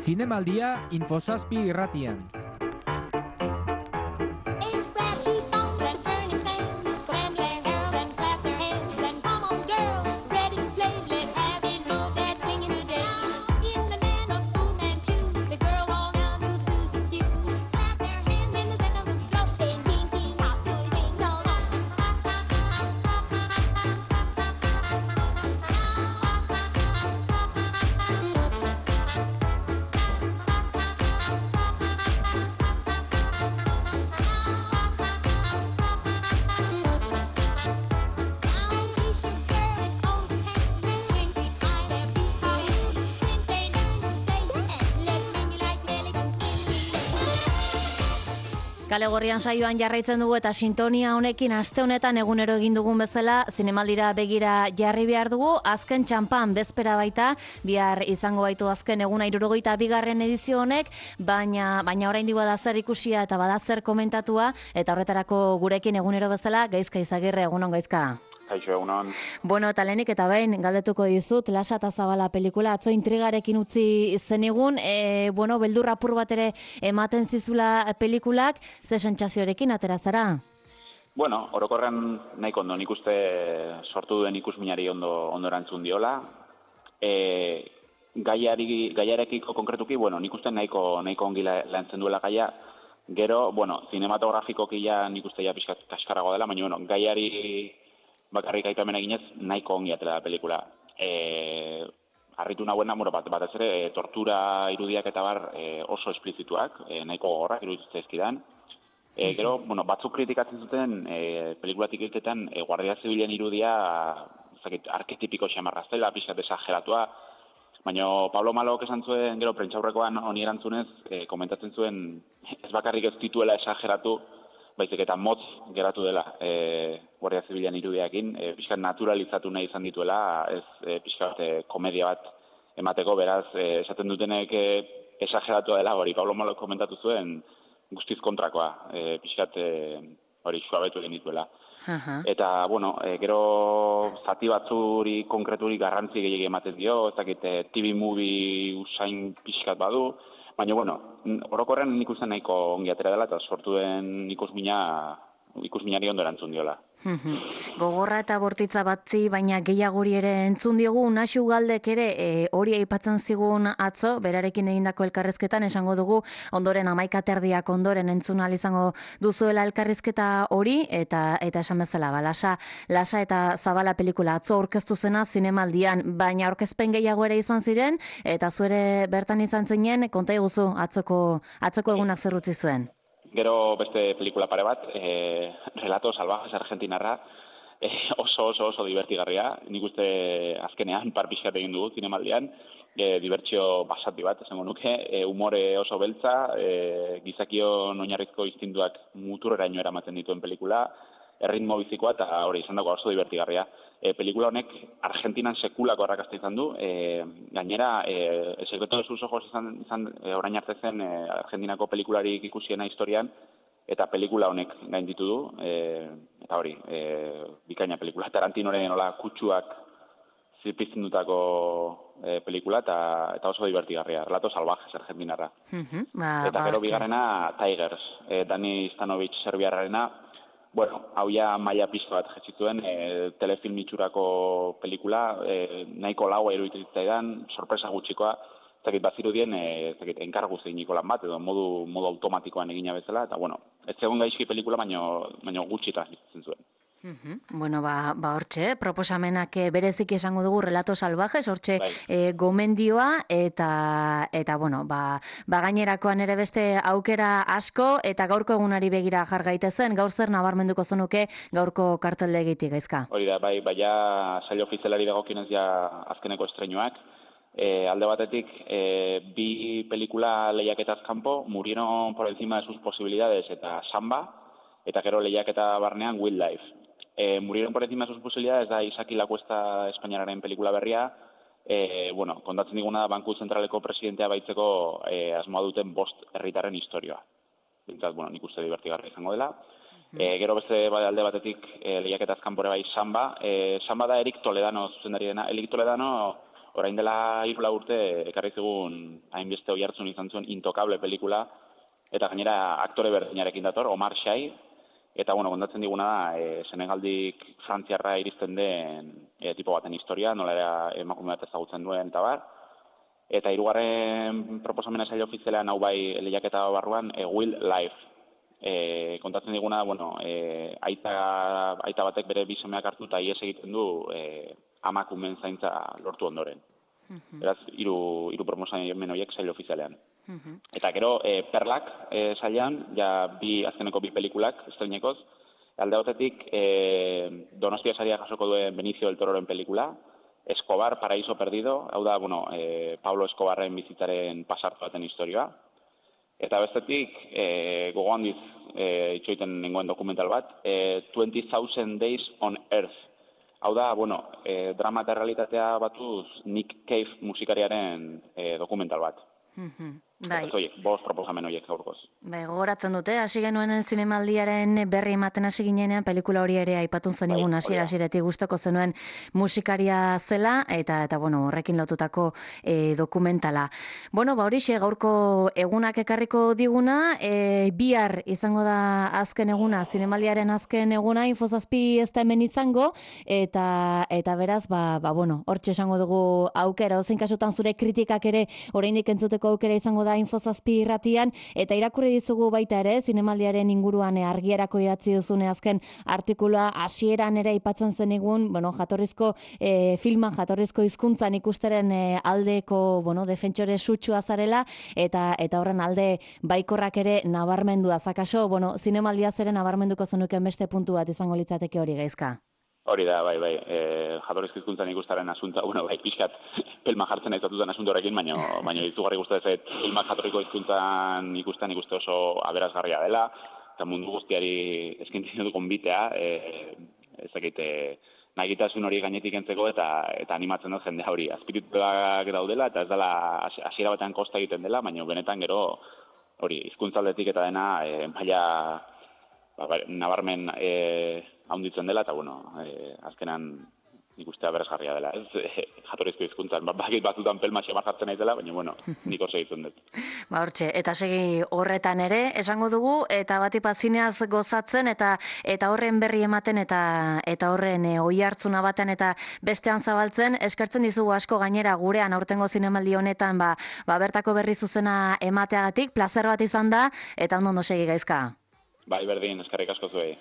Zinemaldia Infosazpi irratian. Kale Gorrian saioan jarraitzen dugu eta sintonia honekin aste honetan egunero egin dugun bezala zinemaldira begira jarri behar dugu. Azken txampan bezpera baita, bihar izango baitu azken eguna 72. edizio honek, baina oraindik bada zer ikusia eta bada zer komentatua, eta horretarako gurekin egunero bezala Gaizka Izagirre. Egunon, Gaizka. Kaixo, egunon. Bueno, eta lehenik eta behin galdetuko dizut, Lasa eta Zabala pelikula atzo intrigarekin utzi zenigun, beldurra apur bat ere ematen zizula pelikulak, ze sentsazioarekin atera zara? Bueno, orokorren nahiko ondo, nik uste sortu duen ikusminari ondo erantzun diola. Gaiarekiko konkretuki, nik uste nahiko ongi lantzen duela gaia. Gero, zinematografikoki nik uste pixkat kaskarago dela, baina gaiari bakarrik aipamen eginez nahiko ongi atera da pelikula. Harritu nahuena, batez ere, tortura irudiak eta bar oso esplizituak, nahiko gogorrak iruditzen zaizkidan. Gero, batzuk kritikatzen zuten pelikulatik irtetan Guardia Zibilen irudia arketipiko xamarra zela, pixkat exageratua, baina Pablo Malok esan zuen, gero prentsaurrekoan honi erantzunez, komentatzen zuen ez bakarrik ez dituela exageratu, baizik eta motz geratu dela Guardia Zibilen irudiakin, pixkat naturalizatu nahi izan dituela, ez pixkat komedia bat emateko, beraz, esaten dutenek exageratua dela, hori Pablo Malok komentatu zuen, guztiz kontrakoa, pixkat hori suabetu egin dituela. Eta, gero zati batzuri konkreturi garrantzi gehiago ematen dio, ez dakit TV movie usain pixkat badu, baina, orokorren nik uste nahiko ongi atera dela eta sortu den ikusminari ondo erantzun diola. Gogorra eta bortitza batzi, baina gehiagori ere entzun diogu, Naxu Galdek ere hori aipatzen zigun atzo, berarekin egindako elkarrizketan esango dugu, ondoren 11:30 ondoren entzun ahal izango duzuela elkarrizketa hori, eta esan bezala, Lasa eta Zabala pelikula atzo aurkeztu zena zinemaldian, baina aurkezpen gehiago ere izan ziren, eta zuere bertan izan zinen, konta iguzu atzoko egunak zer utzi zuen. Gero beste pelikula pare bat, Relatos Salvajes Argentinarra, oso divertigarria. Nik uste azkenean pixkat egin dugu zinemaldian, dibertsio basati bat, esango nuke, umore oso beltza, gizakion oinarrizko instintuak muturreraino eramaten dituen pelikula, erritmo bizikoa eta hori izan dago oso divertigarria. Pelikula honek Argentinan sekulako arrakasta izan du, gainera, Secreto de sus ojos izan orain arte zen Argentinako pelikularik ikusiena historian, eta pelikula honek gainditu du, eta hori, bikaina pelikula. Tarantinoren nola kutsuak zipizten dutako pelikula, eta oso divertigarria, Relatos Salvajes Argentinarra. Eta gero bigarrena Tigers, Dani Stanovic serbiarrarena, hau ja maila piztu bat jetzituen, telefilm itxurako pelikula, nahiko laua iruditzen zitzaidan, sorpresa gutxikoa, zakit bazirudien, enkargu zeiniko lan bat, edo modu automatikoan egina bezala, eta ez zegoen gaizki pelikula, baina gutxi transmititzen zuen. Hortxe, proposamenak berezik esango dugu Relatos Salvajes, hortxe gomendioa, eta gainerakoan ere beste aukera asko, eta gaurko egunari begira jar gaitezen, gaur zer nabarmenduko zenuke gaurko karteldegitik, Gaizka? Hori da, baina sail ofizialari dagokionez ja azkeneko estreinuak, alde batetik, bi pelikula lehiaketaz kanpo, Murieron por encima de sus posibilidades eta Samba, eta gero lehiaketa barnean Wildlife. Murieron por encima de sus posibilidades da Isaki Lacuesta espainiararen pelikula berria, kontatzen diguna da Banku Zentraleko presidentea baitzeko asmoa duten 5 herritarren historioa. Bintzat, nik uste divertigarria izango dela. Gero beste alde batetik lehiaketaz kanpore bai Samba. Samba da Erik Toledano zuzendari dena. Erik Toledano orain dela 3 urte ekarri zigun hainbeste oihartzun izan zuen Intokable pelikula, eta gainera aktore berdinarekin dator, Omar Sy, eta kontatzen diguna da, Senegaldik Frantziarra iristen den tipo baten historia, nola era emakume bat ezagutzen duen, eta bar. Eta 3. proposamena sail ofizialean hau bai lehiaketa barruan, Will Life. Kontatzen diguna, aita batek bere bi semeak hartu eta ihes egiten du amakumen zaintza lortu ondoren. Beraz, 3 proposamen horiek sail ofizialean. Eta gero, Perlak sailean, azkeneko 2 pelikulak estrenekoz, alde batetik Donostia saria jasoko duen Benicio del Tororen pelikula, Escobar, Paraíso Perdido, hau da, Pablo Escobarren bizitzaren pasartu baten historia. Eta bestetik, gogo handiz itxoiten nengoen dokumental bat, 20,000 Days on Earth. Hau da, drama eta realitatea batuz Nick Cave musikariaren dokumental bat. Bai. 5 proposamen horiek gaurkoz. Bai, gogoratzen dute, hasi genuen zinemaldiaren berri ematen hasi ginenean, pelikula hori ere aipatun zenigun hasieratik gustoko zenuen musikaria zela, eta horrekin lotutako dokumentala. Horixe gaurko egunak ekarriko diguna, bihar izango da azken eguna, zinemaldiaren azken eguna, Info7 ez da hemen izango, eta beraz, hortxe esango dugu aukera, ozein kasutan zure kritikak ere oraindik entzuteko aukera izango da Info7 irratian, eta irakurri dizugu baita ere, zinemaldiaren inguruan argierako idatzi duzune azken artikulua hasieran ere aipatzen zenigun, jatorrizko filman, jatorrizko hizkuntzan ikusteren aldeko, defentsore sutsua zarela, eta horren alde baikorrak ere nabarmendua. Zakaso, zinemaldia zeren nabarmenduko zenuken beste puntu bat izango litzateke hori Gaizka. Hori da, bai, jatorrizko hizkuntzan ikustaren asunta, pixkat pelma jartzen aizatutan asunto horrekin, baina izugarri gustatzen filmak jatorriko hizkuntzan ikusten ikuste oso aberasgarria dela, eta mundu guztiari eskaintzen du konbitea, nahitasun hori gainetik entzeko eta animatzen dut jendea hori. Azpirituak daudela eta ez dela hasiera batean kosta egiten dela, baina benetan gero hori hizkuntzaldetik eta dena maila nabarmen haunditzen dela, eta azkenan ikustea beresgarria dela, ez? Jatorrizko hizkuntzan, bakit batzutan pelma xamar jartzen naizela, baina, nik oso egiten dut. Hortxe, eta segi horretan ere, esango dugu, eta batipat zineaz gozatzen, eta horren berri ematen, eta horren oihartzuna batean, eta bestean zabaltzen, eskertzen dizugu asko gainera gurean aurtengo zinemaldi honetan, bertako berri zuzena emateagatik, plazer bat izan da, eta ondo segi Gaizka. Bai, berdin, eskerrik asko zuei.